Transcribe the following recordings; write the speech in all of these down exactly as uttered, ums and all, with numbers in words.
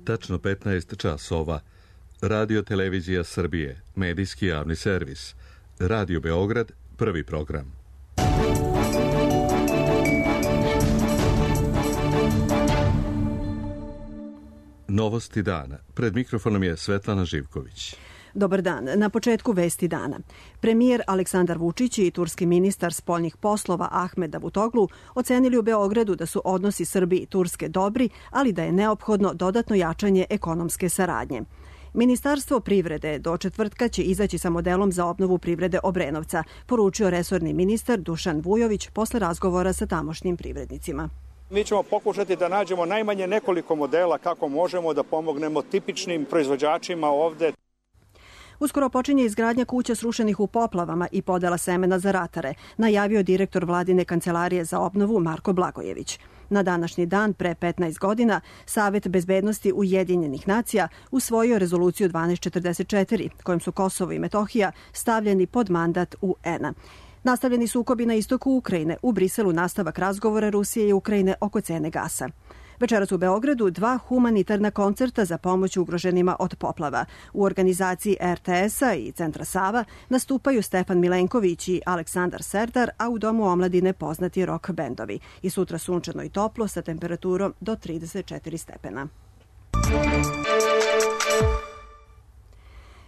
tačno petnaest časova. Radio Televizija Srbije, medijski javni servis. Radio Beograd, prvi program. Novosti dana. Pred mikrofonom je Svetlana Živković. Dobar dan. Na početku vesti dana. Premijer Aleksandar Vučić i turski ministar spoljnih poslova Ahmed Davutoglu ocenili u Beogradu da su odnosi Srbije i Turske dobri, ali da je neophodno dodatno jačanje ekonomske saradnje. Ministarstvo privrede do četvrtka će izaći sa modelom za obnovu privrede Obrenovca, poručio resorni ministar Dušan Vujović posle razgovora sa tamošnjim privrednicima. Mi ćemo pokušati da nađemo najmanje nekoliko modela kako možemo da pomognemo tipičnim proizvođačima ovde. Uskoro počinje izgradnja kuća srušenih u poplavama i podela semena za ratare, najavio direktor vladine kancelarije za obnovu Marko Blagojević. Na današnji dan, pre petnaest godina, Savet bezbednosti Ujedinjenih nacija usvojio rezoluciju dvanaest četrdeset četiri, kojom su Kosovo i Metohija stavljeni pod mandat U N-a. Nastavljeni sukobi na istoku Ukrajine, u Briselu nastavak razgovora Rusije i Ukrajine oko cene gasa. Večeras u Beogradu dva humanitarna koncerta za pomoć ugroženima od poplava. U organizaciji R T S-a i Centra Sava nastupaju Stefan Milenković i Aleksandar Serdar, a u Domu omladine poznati rock bendovi. I sutra sunčano i toplo sa temperaturom do trideset četiri stepena.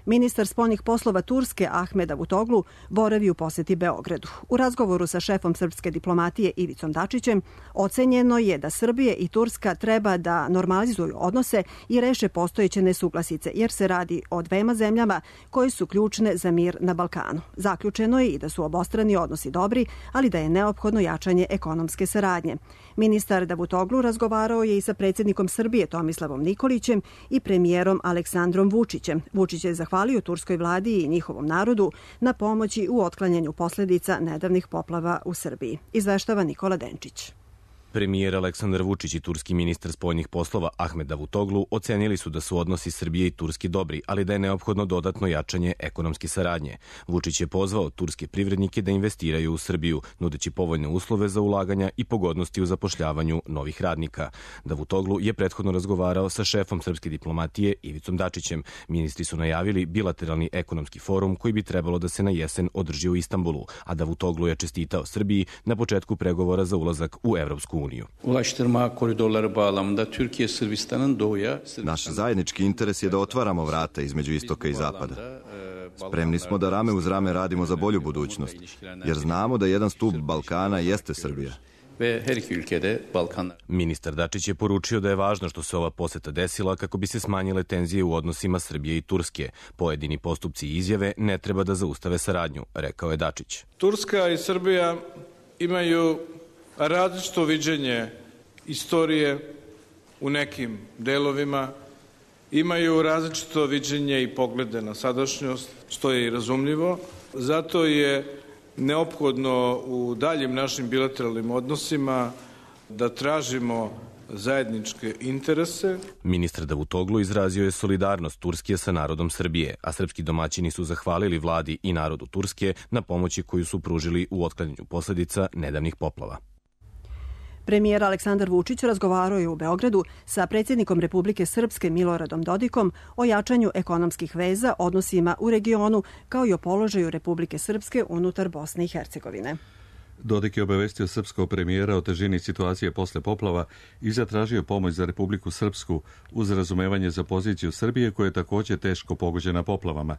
Ministar spoljnih poslova Turske Ahmed Davutoglu boravi u poseti Beogradu. U razgovoru sa šefom srpske diplomatije Ivicom Dačićem ocenjeno je da Srbije i Turska treba da normalizuju odnose i reše postojeće nesuglasice, jer se radi o dvema zemljama koje su ključne za mir na Balkanu. Zaključeno je i da su obostrani odnosi dobri, ali da je neophodno jačanje ekonomske saradnje. Ministar Davutoglu razgovarao je i sa predsjednikom Srbije Tomislavom Nikolićem i premijerom Aleksandrom Vučićem. Vučić je zahvalio turskoj vladi i njihovom narodu na pomoći u otklanjanju posljedica nedavnih poplava u Srbiji. Izveštava Nikola Denčić. Premijer Aleksandar Vučić i turski ministar spoljnih poslova Ahmed Davutoglu ocenili su da su odnosi Srbije i Turske dobri, ali da je neophodno dodatno jačanje ekonomske saradnje. Vučić je pozvao turske privrednike da investiraju u Srbiju, nudeći povoljne uslove za ulaganja i pogodnosti u zapošljavanju novih radnika. Davutoglu je prethodno razgovarao sa šefom srpske diplomatije Ivicom Dačićem. Ministri su najavili bilateralni ekonomski forum koji bi trebalo da se na jesen održi u Istanbulu, a Davutoglu je čestitao Srbiji na početku pregovora za ulazak u Evropsku uniju. Ulaştırma koridorları bağlamında Türkiye Sırbistan'ın doğuya... Naš zajednički interes je da otvaramo vrata između istoka i zapada. Spremni smo da rame uz rame radimo za bolju budućnost, jer znamo da jedan stub Balkana jeste Srbija. Ministar Dačić je poručio da je važno što se ova poseta desila kako bi se smanjile tenzije u odnosima Srbije i Turske. Pojedini postupci i izjave ne treba da zaustave saradnju, rekao je Dačić. Turska i Srbija imaju različito viđenje istorije u nekim delovima, imaju različito viđenje i poglede na sadašnjost, što je i razumljivo. Zato je neophodno u daljim našim bilateralnim odnosima da tražimo zajedničke interese. Ministar Davutoglu izrazio je solidarnost Turske sa narodom Srbije, a srpski domaćini su zahvalili vladi i narodu Turske na pomoći koju su pružili u otklanjanju posljedica nedavnih poplava. Premijer Aleksandar Vučić razgovarao je u Beogradu sa predsjednikom Republike Srpske Miloradom Dodikom o jačanju ekonomskih veza, odnosima u regionu, kao i o položaju Republike Srpske unutar Bosne i Hercegovine. Dodik je obavestio srpskog premijera o težini situacije posle poplava i zatražio pomoć za Republiku Srpsku uz razumevanje za poziciju Srbije koja je također teško pogođena poplavama.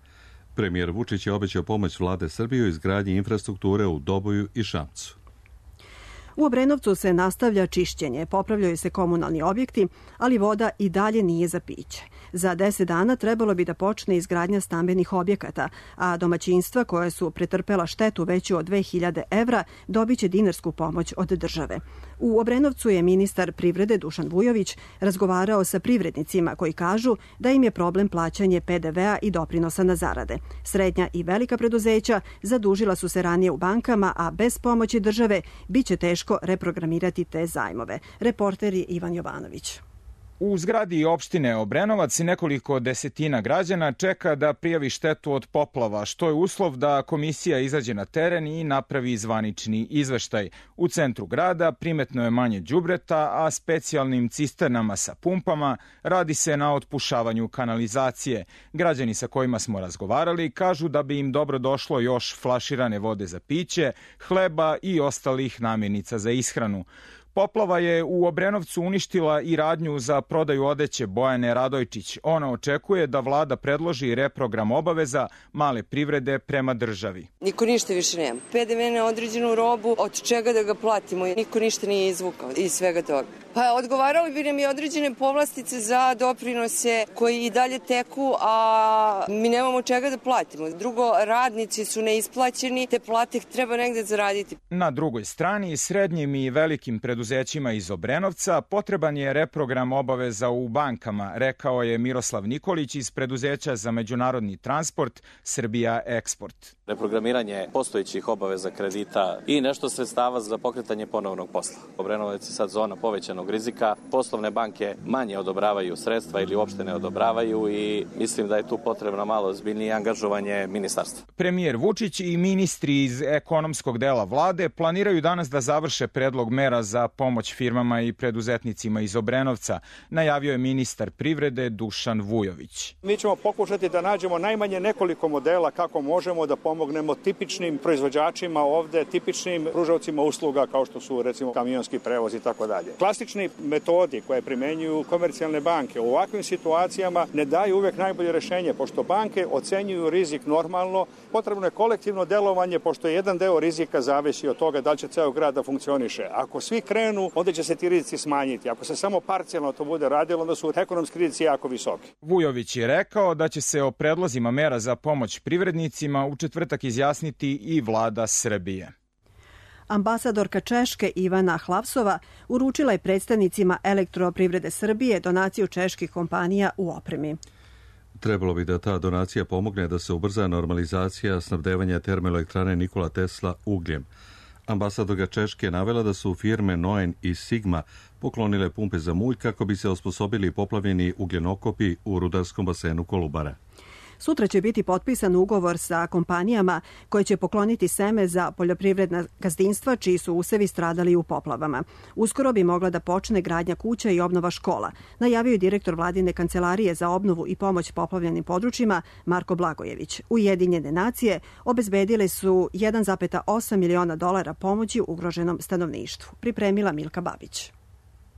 Premijer Vučić je obećao pomoć vlade Srbije u izgradnji infrastrukture u Doboju i Šapcu. U Obrenovcu se nastavlja čišćenje, popravljaju se komunalni objekti, ali voda i dalje nije za piće. Za deset dana trebalo bi da počne izgradnja stambenih objekata, a domaćinstva koja su pretrpela štetu veću od dve hiljade evra dobit će dinarsku pomoć od države. U Obrenovcu je ministar privrede Dušan Vujović razgovarao sa privrednicima koji kažu da im je problem plaćanje P D V-a i doprinosa na zarade. Srednja i velika preduzeća zadužila su se ranije u bankama, a bez pomoći države biće teško reprogramirati te zajmove. Reporter je Ivan Jovanović. U zgradi opštine Obrenovac nekoliko desetina građana čeka da prijavi štetu od poplava, što je uslov da komisija izađe na teren i napravi zvanični izveštaj. U centru grada primetno je manje đubreta, a specijalnim cisternama sa pumpama radi se na otpušavanju kanalizacije. Građani sa kojima smo razgovarali kažu da bi im dobro došlo još flaširane vode za piće, hleba i ostalih namirnica za ishranu. Poplava je u Obrenovcu uništila i radnju za prodaju odeće Bojane Radojčić. Ona očekuje da vlada predloži reprogram obaveza male privrede prema državi. Niko ništa više nema. P D V na određenu robu, od čega da ga platimo? Niko ništa nije izvukao iz svega toga. Pa odgovarali bi nam i određene povlastice za doprinose koji i dalje teku, a mi nemamo čega da platimo. Drugo, radnici su neisplaćeni, te plate treba negde zaraditi. Na drugoj strani, srednjim i velikim preduzećima iz Obrenovca potreban je reprogram obaveza u bankama, rekao je Miroslav Nikolić iz preduzeća za međunarodni transport Srbija Eksport. Reprogramiranje postojećih obaveza kredita i nešto sredstava za pokretanje ponovnog posla. Obrenovac je sad zona povećanog rizika. Poslovne banke manje odobravaju sredstva ili uopšte ne odobravaju i mislim da je tu potrebno malo ozbiljnije angažovanje ministarstva. Premijer Vučić i ministri iz ekonomskog dela vlade planiraju danas da završe predlog mera za pomoć firmama i preduzetnicima iz Obrenovca, najavio je ministar privrede Dušan Vujović. Mi ćemo pokušati da nađemo najmanje nekoliko modela kako možemo da pomognemo tipičnim proizvođačima ovde, tipičnim pružaocima usluga kao što su recimo kamionski prevoz i tako dalje. Klasični metodi koje primenjuju komercijalne banke u ovakvim situacijama ne daju uvek najbolje rešenje, pošto banke ocenjuju rizik normalno, potrebno je kolektivno delovanje, pošto jedan deo rizika zavisi od toga da li će ceo grad da funkcioniše. Ako svi krenu, onda će se ti rizici smanjiti. Ako se samo parcijalno to bude radilo, onda su ekonomski rizici jako visoki. Vujović je rekao da će se o predlozima mera za pomoć privrednicima u četvrtak izjasniti i vlada Srbije. Ambasadorka Češke Ivana Hlavsova uručila je predstavnicima Elektroprivrede Srbije donaciju čeških kompanija u opremi. Trebalo bi da ta donacija pomogne da se ubrza normalizacija snabdevanja termoelektrane Nikola Tesla ugljem. Ambasadorka Češke navela da su firme Noen i Sigma poklonile pumpe za mulj kako bi se osposobili poplavljeni ugljenokopi u rudarskom basenu Kolubara. Sutra će biti potpisan ugovor sa kompanijama koje će pokloniti seme za poljoprivredna gazdinstva čiji su usevi stradali u poplavama. Uskoro bi mogla da počne gradnja kuća i obnova škola, najavio je direktor vladine kancelarije za obnovu i pomoć poplavljenim područjima Marko Blagojević. Ujedinjene nacije obezbedile su jedan zarez osam miliona dolara pomoći ugroženom stanovništvu. Pripremila Milka Babić.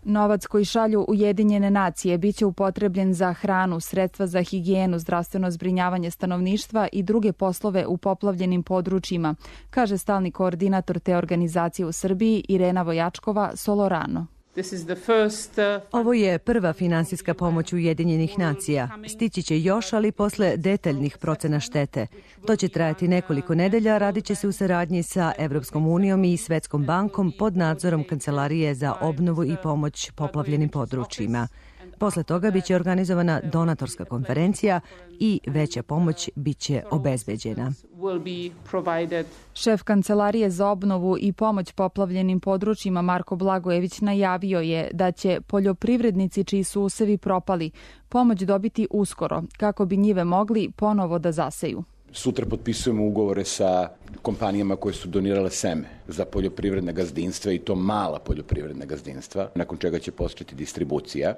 Novac koji šalju Ujedinjene nacije biće upotrebljen za hranu, sredstva za higijenu, zdravstveno zbrinjavanje stanovništva i druge poslove u poplavljenim područjima, kaže stalni koordinator te organizacije u Srbiji Irena Vojačkova Solorano. Ovo je prva finansijska pomoć Ujedinjenih nacija. Stići će još, ali posle detaljnih procena štete. To će trajati nekoliko nedelja, radit će se u saradnji sa Evropskom unijom i Svetskom bankom pod nadzorom Kancelarije za obnovu i pomoć poplavljenim područjima. Posle toga biće organizovana donatorska konferencija i veća pomoć biće obezbeđena. Šef Kancelarije za obnovu i pomoć poplavljenim područjima Marko Blagojević najavio je da će poljoprivrednici čiji su usevi propali pomoć dobiti uskoro kako bi njive mogli ponovo da zaseju. Sutra potpisujemo ugovore sa kompanijama koje su donirale seme za poljoprivredne gazdinstva i to mala poljoprivredna gazdinstva, nakon čega će početi distribucija.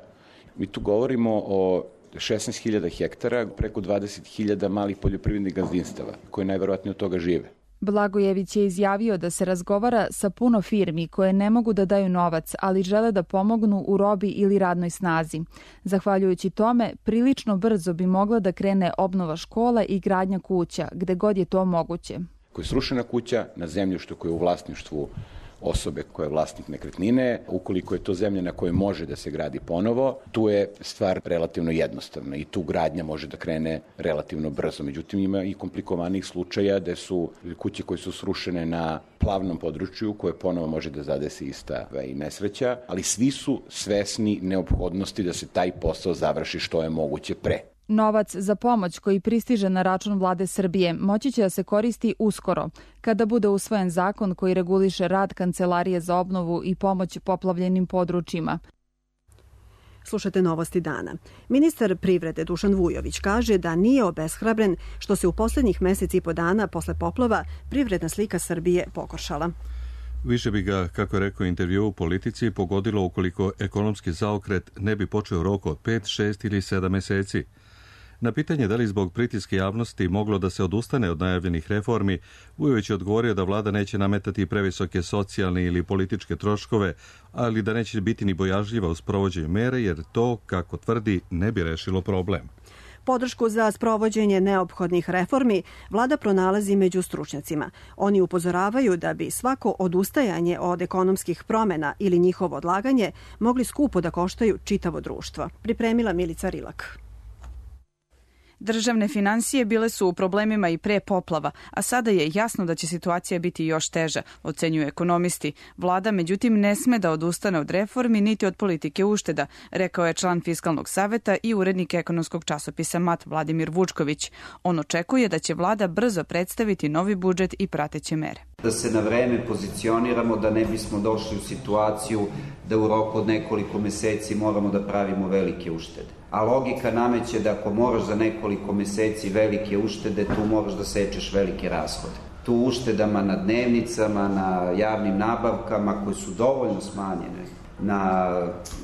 Mi tu govorimo o šesnaest hiljada hektara, preko dvadeset hiljada malih poljoprivrednih gazdinstava koje najverovatnije od toga žive. Blagojević je izjavio da se razgovara sa puno firmi koje ne mogu da daju novac, ali žele da pomognu u robi ili radnoj snazi. Zahvaljujući tome, prilično brzo bi mogla da krene obnova škola i gradnja kuća, gde god je to moguće. Koja je srušena kuća na zemljištu koje je u vlasništvu osobe koja je vlasnik nekretnine, ukoliko je to zemlja na kojoj može da se gradi ponovo, tu je stvar relativno jednostavna i tu gradnja može da krene relativno brzo. Međutim, ima i komplikovanih slučaja gde su kuće koje su srušene na plavnom području koje ponovo može da zadesi ista i nesreća, ali svi su svesni neophodnosti da se taj posao završi što je moguće pre. Novac za pomoć koji pristiže na račun vlade Srbije moći će da se koristi uskoro, kada bude usvojen zakon koji reguliše rad Kancelarije za obnovu i pomoć poplavljenim područjima. Slušate novosti dana. Ministar privrede Dušan Vujović kaže da nije obeshrabren što se u poslednjih meseci i po dana posle poplava privredna slika Srbije pogoršala. Više bi ga, kako je rekao intervju u Politici, pogodilo ukoliko ekonomski zaokret ne bi počeo u roku od pet, šest ili sedam meseci. Na pitanje da li zbog pritiske javnosti moglo da se odustane od najavljenih reformi, Vujović je odgovorio da vlada neće nametati previsoke socijalne ili političke troškove, ali da neće biti ni bojažljiva u sprovođenju mere, jer to, kako tvrdi, ne bi rešilo problem. Podršku za sprovođenje neophodnih reformi vlada pronalazi među stručnjacima. Oni upozoravaju da bi svako odustajanje od ekonomskih promena ili njihovo odlaganje mogli skupo da koštaju čitavo društvo. Pripremila Milica Rilak. Državne finansije bile su u problemima i pre poplava, a sada je jasno da će situacija biti još teža, ocenjuju ekonomisti. Vlada, međutim, ne sme da odustane od reformi niti od politike ušteda, rekao je član Fiskalnog saveta i urednik ekonomskog časopisa M A T Vladimir Vučković. On očekuje da će vlada brzo predstaviti novi budžet i prateće mere. Da se na vreme pozicioniramo, da ne bismo došli u situaciju da u roku od nekoliko meseci moramo da pravimo velike uštede. A logika nameće da ako moraš za nekoliko meseci velike uštede, tu moraš da sečeš velike rashode. Tu uštedama na dnevnicama, na javnim nabavkama koje su dovoljno smanjene, na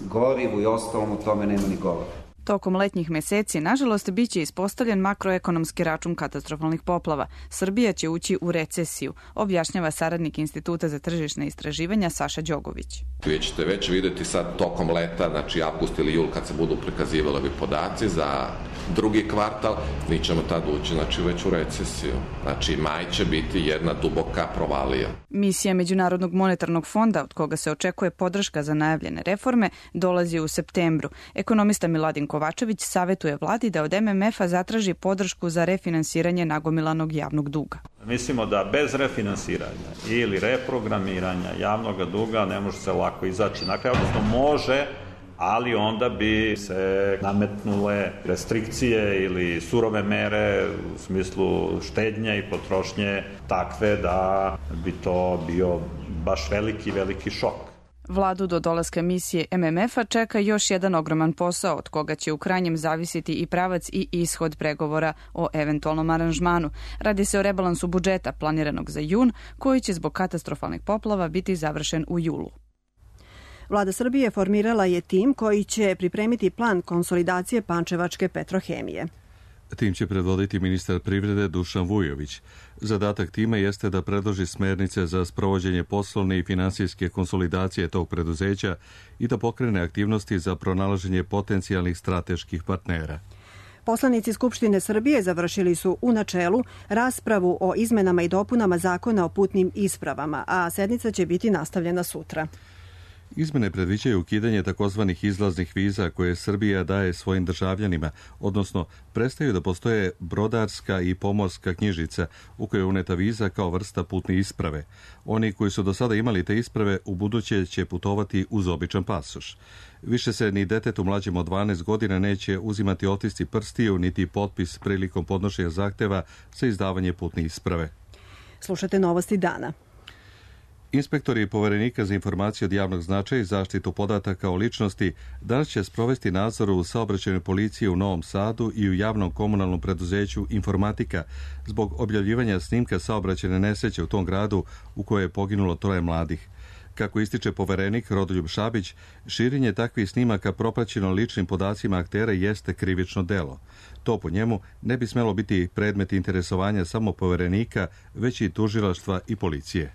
gorivu i ostalom, o tome nema ni govora. Tokom letnjih meseci, nažalost, biće ispostavljen makroekonomski račun katastrofalnih poplava. Srbija će ući u recesiju, objašnjava saradnik Instituta za tržišne istraživanja Saša Đogović. Vi ćete već videti sad tokom leta, znači avgust ili jul, kad se budu prikazivali ovi podaci za drugi kvartal, mi ćemo tad ući znači, već u recesiju. Znači, maj će biti jedna duboka provalija. Misija Međunarodnog monetarnog fonda, od koga se očekuje podrška za najavljene reforme, dolazi u septembru. Ekonomista Miladin Kovačević savetuje vladi da od M M F-a zatraži podršku za refinansiranje nagomilanog javnog duga. Mislimo da bez refinansiranja ili reprogramiranja javnog duga ne može se lako izaći na kraj, odnosno može, ali onda bi se nametnule restrikcije ili surove mere u smislu štednje i potrošnje takve da bi to bio baš veliki, veliki šok. Vladu do dolaska misije M M F-a čeka još jedan ogroman posao, od koga će u krajnjem zavisiti i pravac i ishod pregovora o eventualnom aranžmanu. Radi se o rebalansu budžeta planiranog za jun, koji će zbog katastrofalnih poplava biti završen u julu. Vlada Srbije formirala je tim koji će pripremiti plan konsolidacije Pančevačke petrohemije. Tim će predvoditi ministar privrede Dušan Vujović. Zadatak tima jeste da predloži smernice za sprovođenje poslovne i finansijske konsolidacije tog preduzeća i da pokrene aktivnosti za pronalaženje potencijalnih strateških partnera. Poslanici Skupštine Srbije završili su u načelu raspravu o izmenama i dopunama Zakona o putnim ispravama, a sednica će biti nastavljena sutra. Izmene predviđaju ukidanje takozvanih izlaznih viza koje Srbija daje svojim državljanima, odnosno prestaju da postoje brodarska i pomorska knjižica u kojoj je uneta viza kao vrsta putne isprave. Oni koji su do sada imali te isprave u buduće će putovati uz običan pasoš. Više se ni detetu mlađem od dvanaest godina neće uzimati otisci prstiju niti potpis prilikom podnošenja zahteva za izdavanje putne isprave. Slušate novosti dana. Inspektori Poverenika za informacije od javnog značaja i zaštitu podataka o ličnosti danas će sprovesti nadzor u saobraćajnoj policiji u Novom Sadu i u javnom komunalnom preduzeću Informatika zbog objavljivanja snimka saobraćajne nesreće u tom gradu u kojoj je poginulo troje mladih. Kako ističe poverenik Rodoljub Šabić, širenje takvih snimaka propraćeno ličnim podacima aktera jeste krivično delo. To po njemu ne bi smelo biti predmet interesovanja samo poverenika, već i tužilaštva i policije.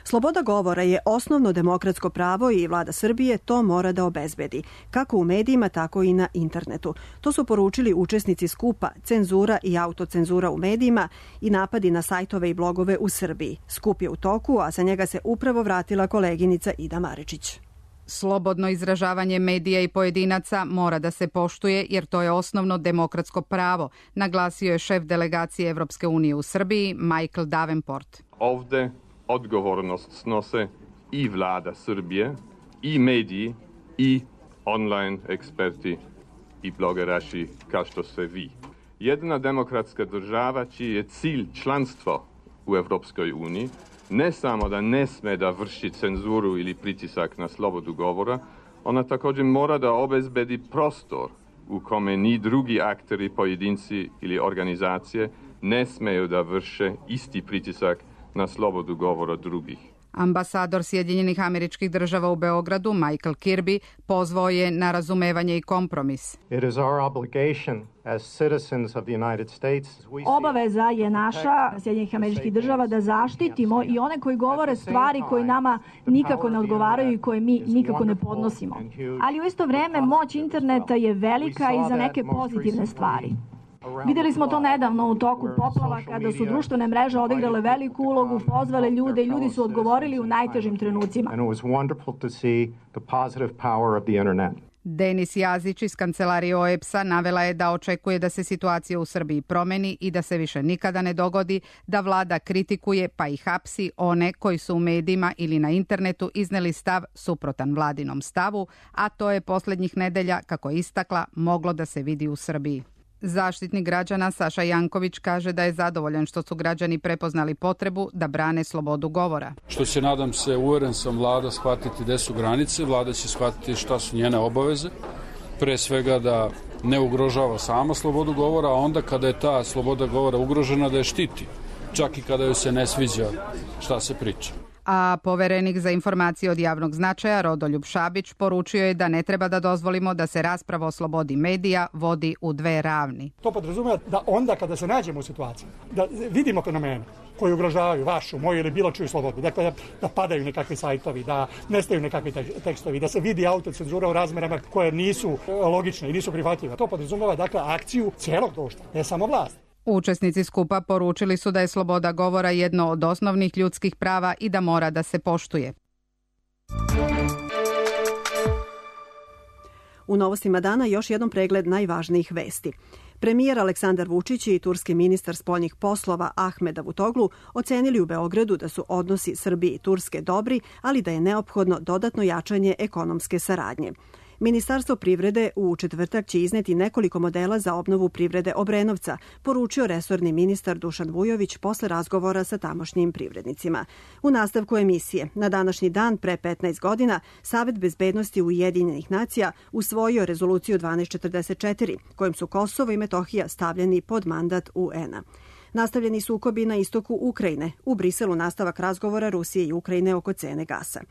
Sloboda govora je osnovno demokratsko pravo i vlada Srbije to mora da obezbedi, kako u medijima, tako i na internetu. To su poručili učesnici skupa Cenzura i autocenzura u medijima i napadi na sajtove i blogove u Srbiji. Skup je u toku, a sa njega se upravo vratila koleginica Ida Maričić. Slobodno izražavanje medija i pojedinaca mora da se poštuje jer to je osnovno demokratsko pravo, naglasio je šef delegacije Evropske unije u Srbiji Michael Davenport. Ovde odgovornost snose i vlada Srbije, i mediji, i online eksperti i blogeraši kao što ste vi. Jedna demokratska država čiji je cilj članstvo u Evropskoj uniji ne samo da ne sme da vrši cenzuru ili pritisak na slobodu govora, Ona također mora da obezbedi prostor u kome ni drugi akteri, pojedinci ili organizacije ne smeju da vrše isti pritisak na slobodu govora drugih. Ambasador Sjedinjenih Američkih Država u Beogradu, Michael Kirby, pozvao je na razumevanje i kompromis. Obaveza je naša, Sjedinjenih Američkih Država, da zaštitimo i one koji govore stvari koje nama nikako ne odgovaraju i koje mi nikako ne podnosimo. Ali u isto vreme moć interneta je velika i za neke pozitivne stvari. Videli smo to nedavno u toku poplava kada su društvene mreže odigrale veliku ulogu, pozvale ljude i ljudi su odgovorili u najtežim trenucima. Denis Jazić iz kancelarije O E B S-a navela je da očekuje da se situacija u Srbiji promeni i da se više nikada ne dogodi da vlada kritikuje pa i hapsi one koji su u medijima ili na internetu izneli stav suprotan vladinom stavu, a to je posljednjih nedelja, kako je istakla, moglo da se vidi u Srbiji. Zaštitnik građana Saša Janković kaže da je zadovoljan što su građani prepoznali potrebu da brane slobodu govora. Što će, nadam se, uveren sam, vlada shvatiti gde su granice, vlada će shvatiti šta su njene obaveze, pre svega da ne ugrožava sama slobodu govora, a onda kada je ta sloboda govora ugrožena da je štiti, čak i kada joj se ne sviđa šta se priča. A poverenik za informacije od javnog značaja Rodoljub Šabić poručio je da ne treba da dozvolimo da se rasprava o slobodi medija vodi u dve ravni. To podrazumeva da onda kada se nađemo u situaciji, da vidimo fenomene koji ugrožavaju vašu, moju ili bilo čiju slobodu, dakle da, da padaju nekakvi sajtovi, da nestaju nekakvi tekstovi, da se vidi autocenzura u razmerama koje nisu logične i nisu prihvatljive. To podrazumeva dakle akciju cijelog društva, ne samo vlast. Učesnici skupa poručili su da je sloboda govora jedno od osnovnih ljudskih prava i da mora da se poštuje. U novostima dana još jedan pregled najvažnijih vesti. Premijer Aleksandar Vučić i turski ministar spoljnih poslova Ahmed Davutoglu ocenili u Beogradu da su odnosi Srbije i Turske dobri, ali da je neophodno dodatno jačanje ekonomske saradnje. Ministarstvo privrede u četvrtak će izneti nekoliko modela za obnovu privrede Obrenovca, poručio resorni ministar Dušan Vujović posle razgovora sa tamošnjim privrednicima. U nastavku emisije, na današnji dan pre petnaest godina, Savet bezbednosti Ujedinjenih nacija usvojio rezoluciju dvanaest četrdeset četiri, kojim su Kosovo i Metohija stavljeni pod mandat U N-a. Nastavljeni sukobi na istoku Ukrajine, u Briselu nastavak razgovora Rusije i Ukrajine oko cene gasa.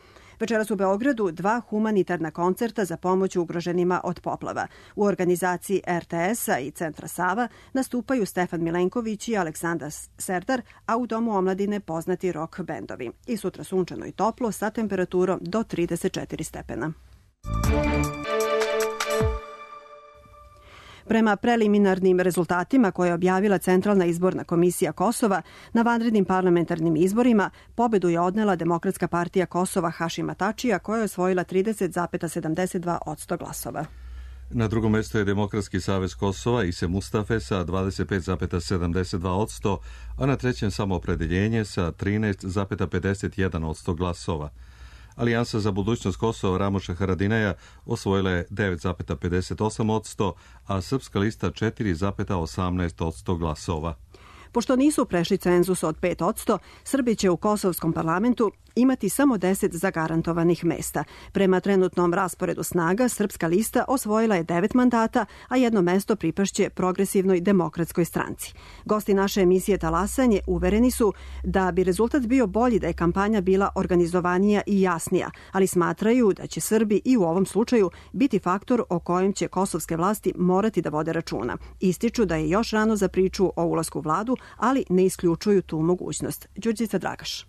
Večeras u Beogradu dva humanitarna koncerta za pomoć ugroženima od poplava. U organizaciji R T S-a i Centra Sava nastupaju Stefan Milenković i Aleksandar Serdar, a u Domu omladine poznati rock bendovi. I sutra sunčano i toplo sa temperaturom do trideset četiri stepena. Prema preliminarnim rezultatima koje je objavila Centralna izborna komisija Kosova, na vanrednim parlamentarnim izborima pobedu je odnela Demokratska partija Kosova Hašima Tačija, koja je osvojila trideset zarez sedamdeset dva posto glasova. Na drugom mjestu je Demokratski savez Kosova Ise Mustafe sa dvadeset pet zarez sedamdeset dva posto, a na trećem Samoopredeljenje sa trinaest zarez pedeset jedan posto glasova. Alijansa za budućnost Kosova Ramoša Haradinaja osvojila je devet zarez pedeset osam posto, a Srpska lista četiri zarez osamnaest posto glasova. Pošto nisu prešli cenzus od pet posto, Srbi će u Kosovskom parlamentu imati samo deset zagarantovanih mesta. Prema trenutnom rasporedu snaga, Srpska lista osvojila je devet mandata, a jedno mesto pripašće Progresivnoj demokratskoj stranci. Gosti naše emisije Talasanje uvereni su da bi rezultat bio bolji da je kampanja bila organizovanija i jasnija, ali smatraju da će Srbi i u ovom slučaju biti faktor o kojem će kosovske vlasti morati da vode računa. Ističu da je još rano za priču o ulasku u vladu, ali ne isključuju tu mogućnost. Đurđica Dragaš.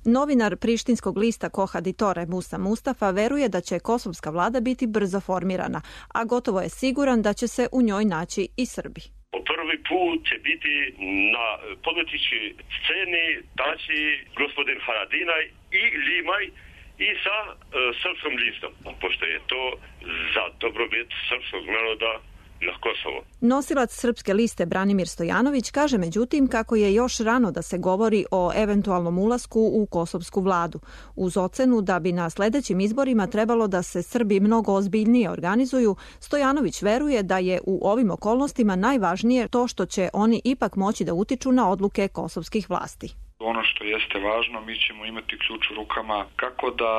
Novinar prištinskog lista Kohaditore Musa Mustafa veruje da će kosovska vlada biti brzo formirana, a gotovo je siguran da će se u njoj naći i Srbi. Po prvi put će biti na političkoj sceni taći gospodin Haradinaj i Limaj i sa e, srpskom listom, pošto je to za dobrobit srpskog naroda na Kosovo. Nosilac Srpske liste Branimir Stojanović kaže međutim kako je još rano da se govori o eventualnom ulasku u kosovsku vladu. Uz ocenu da bi na sledećim izborima trebalo da se Srbi mnogo ozbiljnije organizuju, Stojanović veruje da je u ovim okolnostima najvažnije to što će oni ipak moći da utiču na odluke kosovskih vlasti. Ono što jeste važno, mi ćemo imati ključ u rukama kako da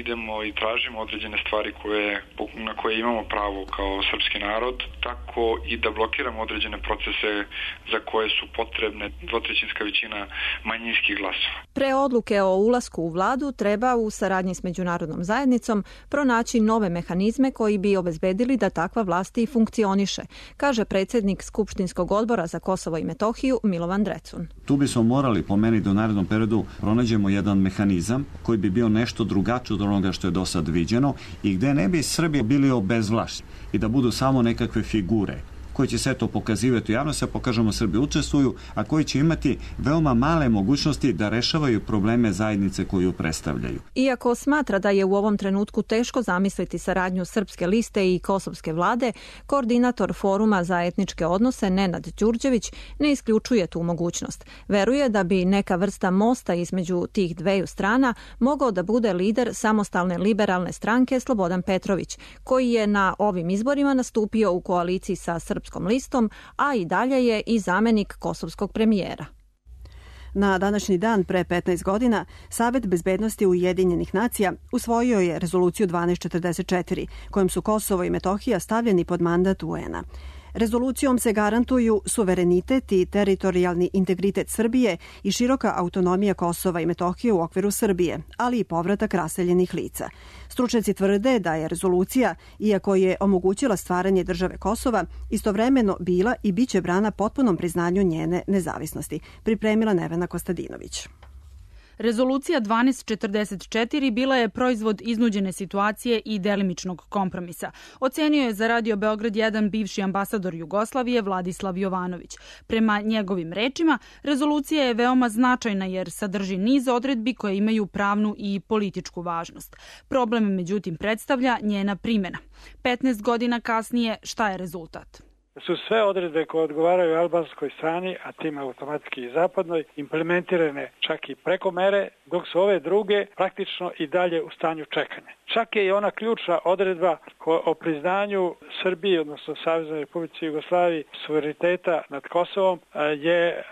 idemo i tražimo određene stvari koje, na koje imamo pravo kao srpski narod, tako i da blokiramo određene procese za koje su potrebne dvotrećinska većina manjinskih glasova. Pre odluke o ulasku u vladu treba u saradnji s međunarodnom zajednicom pronaći nove mehanizme koji bi obezbedili da takva vlast i funkcioniše, kaže predsjednik Skupštinskog odbora za Kosovo i Metohiju Milovan Drecun. Tu bismo morali po meni da u narednom periodu pronađemo jedan mehanizam koji bi bio nešto drugačiji od onoga što je do sad viđeno i gde ne bi Srbi bili obezvlašćeni i da budu samo nekakve figure koji će sve to pokazivati u javnosti, a pokažemo Srbi učestvuju, a koji će imati veoma male mogućnosti da rešavaju probleme zajednice koju predstavljaju. Iako smatra da je u ovom trenutku teško zamisliti saradnju Srpske liste i kosovske vlade, koordinator Foruma za etničke odnose Nenad Đurđević ne isključuje tu mogućnost. Veruje da bi neka vrsta mosta između tih dveju strana mogao da bude lider samostalne liberalne stranke Slobodan Petrović, koji je na ovim izborima nastupio u koaliciji sa Srpskom listom, a i dalje je i zamenik kosovskog premijera. Na današnji dan pre petnaest godina Savet bezbednosti Ujedinjenih nacija usvojio je rezoluciju dvanaest četrdeset četiri, kojom su Kosovo i Metohija stavljeni pod mandat U N-a. Rezolucijom se garantuju suverenitet i teritorijalni integritet Srbije i široka autonomija Kosova i Metohije u okviru Srbije, ali i povratak raseljenih lica. Stručnjaci tvrde da je rezolucija, iako je omogućila stvaranje države Kosova, istovremeno bila i biće brana potpunom priznanju njene nezavisnosti, pripremila Nevena Kostadinović. Rezolucija dvanaest četrdeset četiri bila je proizvod iznuđene situacije i delimičnog kompromisa. Ocenio je za Radio Beograd jedan bivši ambasador Jugoslavije Vladislav Jovanović. Prema njegovim rečima, rezolucija je veoma značajna jer sadrži niz odredbi koje imaju pravnu i političku važnost. Problem, međutim, predstavlja njena primjena. petnaest godina kasnije, šta je rezultat? Su sve odredbe koje odgovaraju albanskoj strani, a tim automatski i zapadnoj, implementirane čak i preko mere, dok su ove druge praktično i dalje u stanju čekanja. Čak je i ona ključna odredba o priznanju Srbije, odnosno Saveznoj Republici Jugoslaviji, suvereniteta nad Kosovom je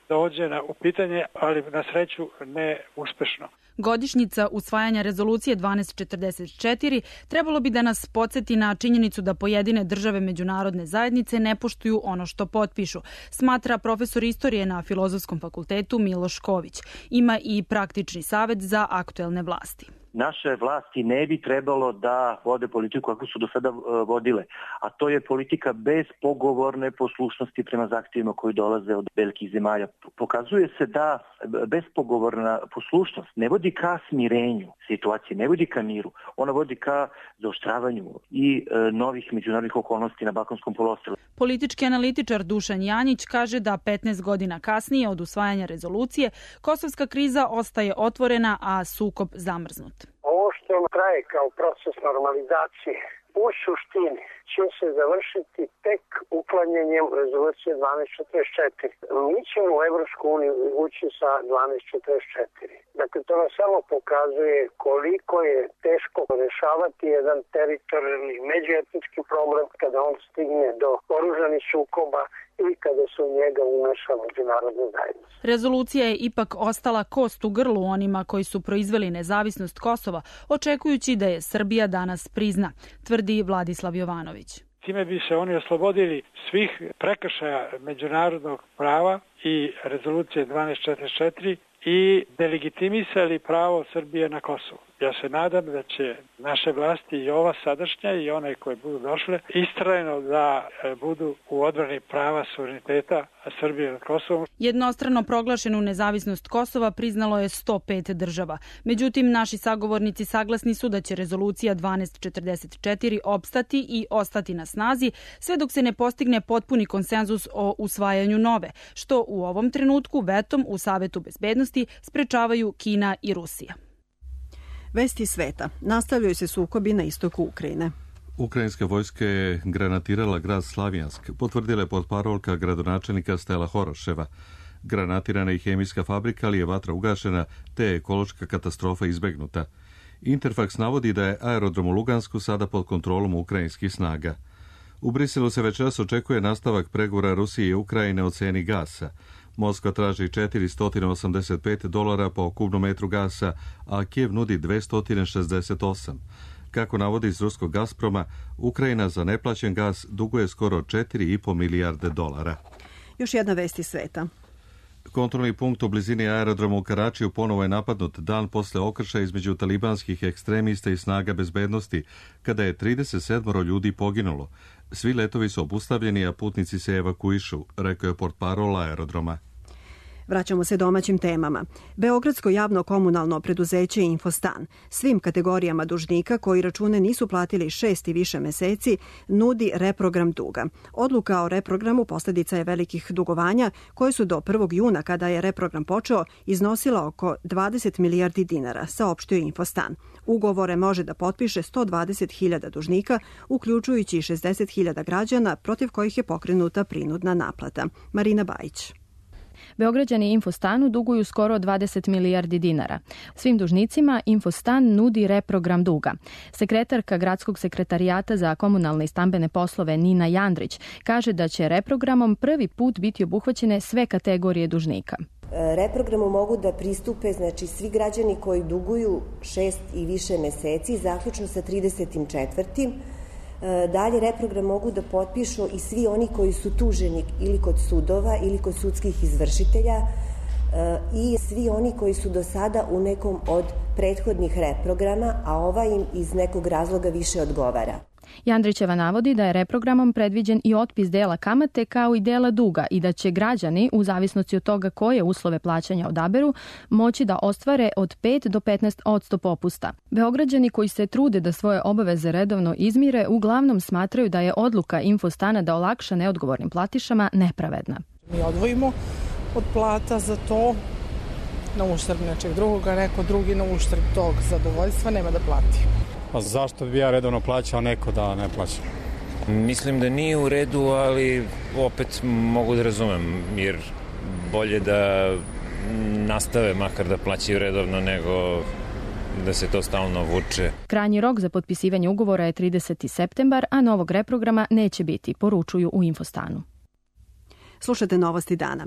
dovođena u pitanje, ali na sreću ne uspešno. Godišnjica usvajanja rezolucije dvanaest četrdeset četiri trebalo bi da nas podsjeti na činjenicu da pojedine države međunarodne zajednice ne poštuju ono što potpišu, smatra profesor istorije na Filozofskom fakultetu Miloš Ković. Ima i praktični savet za aktuelne vlasti. Naše vlasti ne bi trebalo da vode politiku kako su do sada vodile, a to je politika bezpogovorne poslušnosti prema zahtjevima koji dolaze od velikih zemalja. Pokazuje se da bezpogovorna poslušnost ne vodi ka smirenju situacije, ne vodi ka miru, ona vodi ka zaoštravanju i novih međunarodnih okolnosti na Balkanskom poluostrvu. Politički analitičar Dušan Janjić kaže da petnaest godina kasnije od usvajanja rezolucije kosovska kriza ostaje otvorena, a sukob zamrznut. Ovo što traje kao proces normalizacije u suštini će se završiti tek uklanjanjem rezolucije dvanaest četrdeset četiri. Mi ćemo u Evropsku uniju ući sa dvanaest četrdeset četiri. Dakle, to nam samo pokazuje koliko je teško rešavati jedan teritorijalni međuetnički problem kada on stigne do oružanih sukoba ili kada se u njega umeša međunarodna zajednica. Rezolucija je ipak ostala kost u grlu onima koji su proizveli nezavisnost Kosova, očekujući da je Srbija danas prizna, tvrdi Vladislav Jovanović. Time bi se oni oslobodili svih prekršaja međunarodnog prava i rezolucije dvanaest četrdeset četiri i delegitimisali pravo Srbije na Kosovo. Ja se nadam da će naše vlasti i ova sadašnja i one koje budu došle istrajno da budu u odbrani prava suvereniteta Srbije nad Kosovom. Jednostrano proglašenu nezavisnost Kosova priznalo je sto pet država. Međutim, naši sagovornici saglasni su da će rezolucija dvanaest četrdeset četiri opstati i ostati na snazi sve dok se ne postigne potpuni konsenzus o usvajanju nove, što u ovom trenutku vetom u Savetu bezbednosti sprečavaju Kina i Rusija. Vesti sveta. Nastavljaju se sukobi na istoku Ukrajine. Ukrajinska vojska je granatirala grad Slavjansk, potvrdila je potparolka gradonačelnika Stela Horoševa. Granatirana je hemijska fabrika, ali je vatra ugašena, te je ekološka katastrofa izbegnuta. Interfax navodi da je aerodrom u Lugansku sada pod kontrolom ukrajinskih snaga. U Briselu se večeras očekuje nastavak pregovora Rusije i Ukrajine o ceni gasa. Moskva traži četiristo osamdeset pet dolara po kubnom metru gasa, a Kijev nudi dvesta šezdeset osam. Kako navodi iz ruskog Gazproma, Ukrajina za neplaćen gas duguje skoro četiri i po milijarde dolara. Još jedna vest iz sveta. Kontrolni punkt u blizini aerodroma u Karačiju ponovo je napadnut dan posle okršaja između talibanskih ekstremista i snaga bezbednosti, kada je trideset sedam ljudi poginulo. Svi letovi su obustavljeni, a putnici se evakuišu, rekao je portparol aerodroma. Vraćamo se domaćim temama. Beogradsko javno komunalno preduzeće Infostan svim kategorijama dužnika koji račune nisu platili šest i više meseci nudi reprogram duga. Odluka o reprogramu posljedica je velikih dugovanja koje su do prvog juna, kada je reprogram počeo, iznosila oko dvadeset milijardi dinara, saopštio Infostan. Ugovore može da potpiše sto dvadeset hiljada dužnika, uključujući i šezdeset hiljada građana protiv kojih je pokrenuta prinudna naplata. Marina Bajić. Beograđani Infostanu duguju skoro dvadeset milijardi dinara. Svim dužnicima Infostan nudi reprogram duga. Sekretarka Gradskog sekretarijata za komunalne i stambene poslove Nina Jandrić kaže da će reprogramom prvi put biti obuhvaćene sve kategorije dužnika. Reprogramu mogu da pristupe znači svi građani koji duguju šest i više meseci, zaključno sa tridesetim četvrtim Dalje, reprogram mogu da potpišu i svi oni koji su tuženi ili kod sudova ili kod sudskih izvršitelja i svi oni koji su do sada u nekom od prethodnih reprograma, a ovaj im iz nekog razloga više odgovara. Jandrićeva navodi da je reprogramom predviđen i otpis dela kamate kao i dela duga i da će građani, u zavisnosti od toga koje uslove plaćanja odaberu, moći da ostvare od pet do petnaest posto popusta. Beograđani koji se trude da svoje obaveze redovno izmire uglavnom smatraju da je odluka Infostana da olakša neodgovornim platišama nepravedna. Mi odvojimo od plata za to na uštrb nečeg drugoga, neko drugi na uštrb tog zadovoljstva nema da plati. Pa zašto bi ja redovno plaćao, neko da ne plaća? Mislim da nije u redu, ali opet mogu da razumem, jer bolje da nastave makar da plaćaju redovno nego da se to stalno vuče. Krajnji rok za potpisivanje ugovora je trideseti septembar, a novog reprograma neće biti, poručuju u Infostanu. Slušate Novosti dana.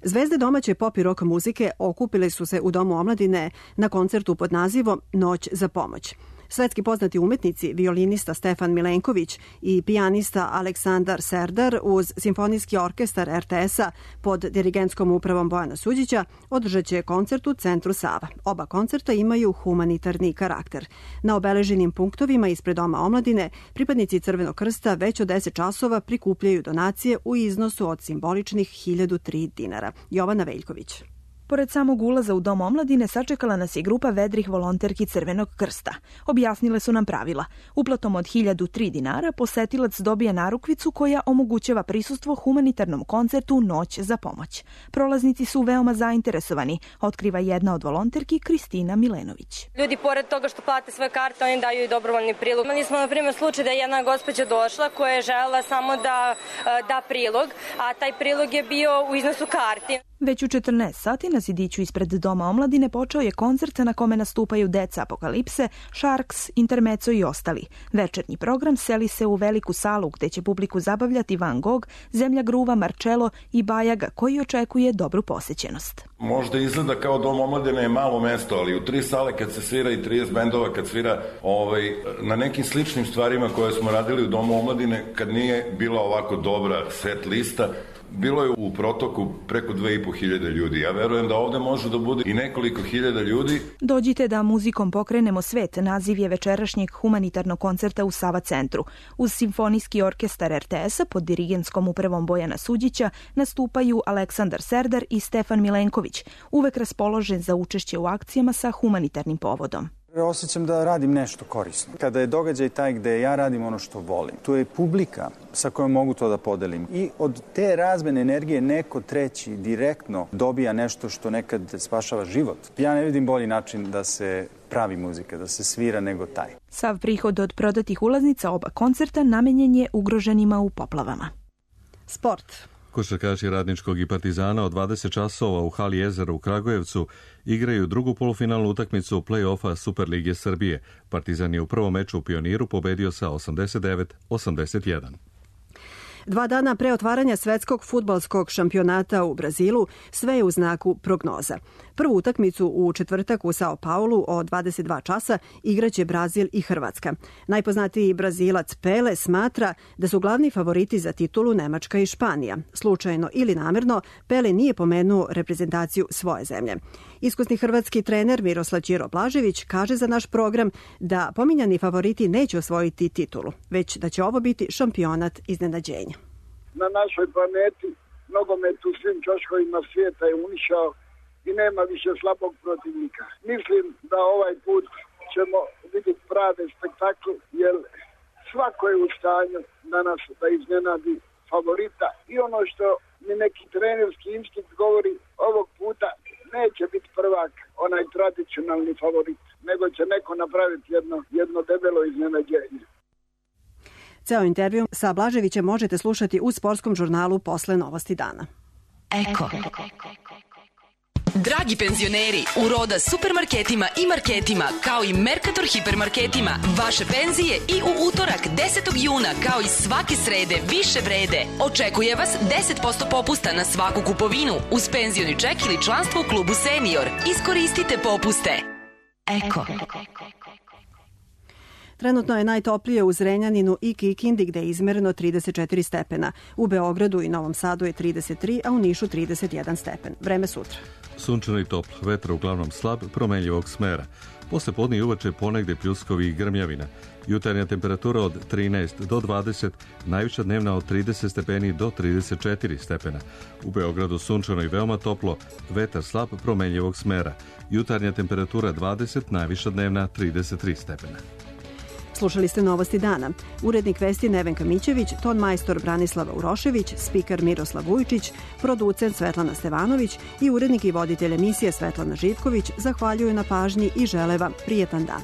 Zvezde domaće pop i rock muzike okupile su se u Domu omladine na koncertu pod nazivom Noć za pomoć. Svetski poznati umetnici, violinista Stefan Milenković i pijanista Aleksandar Serdar uz Simfonijski orkestar er te es-a pod dirigentskom upravom Bojana Suđića održat će koncert u centru Sava. Oba koncerta imaju humanitarni karakter. Na obeleženim punktovima ispred Doma omladine pripadnici Crvenog krsta već od deset časova prikupljaju donacije u iznosu od simboličnih hiljadu tri dinara. Jovana Veljković. Pored samog ulaza u Dom omladine sačekala nas je grupa vedrih volonterki Crvenog krsta. Objasnile su nam pravila. Uplatom od hiljadu tri dinara posetilac dobija narukvicu koja omogućava prisustvo humanitarnom koncertu Noć za pomoć. Prolaznici su veoma zainteresovani, otkriva jedna od volonterki Kristina Milenović. Ljudi pored toga što plate svoje karte, oni daju i dobrovoljni prilog. Imali smo na primjer slučaj da je jedna gospođa došla koja je želela samo da da prilog, a taj prilog je bio u iznosu karti. Već u četrnaest sati na zidiću ispred Doma omladine počeo je koncert na kome nastupaju Deca Apokalipse, Sharks, Intermezzo i ostali. Večernji program seli se u veliku salu gde će publiku zabavljati Van Gogh, Zemlja gruva, Marcello i Bajaga koji očekuje dobru posećenost. Možda izgleda kao Dom omladine je malo mesto, ali u tri sale kad se svira i trideset bendova kad svira ovaj, na nekim sličnim stvarima koje smo radili u Domu omladine, kad nije bila ovako dobra set lista, bilo je u protoku preko dve i po hiljade ljudi. Ja verujem da ovde može da bude i nekoliko hiljada ljudi. Dođite da muzikom pokrenemo svet, naziv je večerašnjeg humanitarnog koncerta u Sava centru. Uz Simfonijski orkestar er te es-a pod dirigentskom upravom Bojana Suđića nastupaju Aleksandar Serdar i Stefan Milenković, uvek raspoložen za učešće u akcijama sa humanitarnim povodom. Osjećam da radim nešto korisno. Kada je događaj taj gde ja radim ono što volim, tu je publika sa kojom mogu to da podelim. I od te razmene energije neko treći direktno dobija nešto što nekad spašava život. Ja ne vidim bolji način da se pravi muzika, da se svira nego taj. Sav prihod od prodatih ulaznica oba koncerta namenjen je ugroženima u poplavama. Sport. Košarkaši Radničkog i Partizana od dvadeset časova u hali Jezera u Kragujevcu igraju drugu polufinalnu utakmicu play-offa Superlige Srbije. Partizan je u prvom meču u Pioniru pobedio sa osamdeset devet osamdeset jedan. Dva dana pre otvaranja svetskog fudbalskog šampionata u Brazilu sve je u znaku prognoza. Prvu utakmicu u četvrtak u Sao Paulu od dvadeset dva časa igraće Brazil i Hrvatska. Najpoznatiji Brazilac Pele smatra da su glavni favoriti za titulu Nemačka i Španija. Slučajno ili namerno, Pele nije pomenuo reprezentaciju svoje zemlje. Iskusni hrvatski trener Miroslav Ćiro Blažević kaže za naš program da pominjani favoriti neće osvojiti titulu, već da će ovo biti šampionat iznenađenja. Na našoj planeti nogomet u svim ćoškovima svijeta je unišao i nema više slabog protivnika. Mislim da ovaj put ćemo vidjeti prave spektakl, jer svako je u stanju danas da iznenadi favorita. I ono što mi neki trenerski instinkt govori, ovog puta neće biti prvak onaj tradicionalni favorit, nego će neko napraviti jedno, jedno debelo iznenađenje. Ceo intervju sa Blaževićem možete slušati u sportskom žurnalu posle Novosti dana. Eko. Dragi penzioneri, u Roda supermarketima i marketima, kao i Mercator hipermarketima, vaše penzije i u utorak desetog juna, kao i svake srede, više vrede. Očekuje vas deset posto popusta na svaku kupovinu, uz penzioni ček ili članstvo u klubu Senior. Iskoristite popuste. Eko. Trenutno je najtoplije u Zrenjaninu i Kikindi gde je izmereno trideset četiri stepena. U Beogradu i Novom Sadu je trideset tri, a u Nišu trideset jedan stepen. Vreme sutra. Sunčano i toplo, vetar uglavnom slab, promenljivog smera. Posle podne i uveče ponegde pljuskovi i grmljavina. Jutarnja temperatura od trinaest do dvadeset, najviša dnevna od trideset stepeni do trideset četiri stepena. U Beogradu sunčano i veoma toplo, vetar slab, promenljivog smera. Jutarnja temperatura dvadeset, najviša dnevna trideset tri stepena. Slušali ste Novosti dana. Urednik vesti Nevenka Mićević, ton majstor Branislava Urošević, spiker Miroslav Vujčić, producent Svetlana Stevanović i urednik i voditelj emisije Svetlana Živković zahvaljuju na pažnji i žele vam prijetan dan.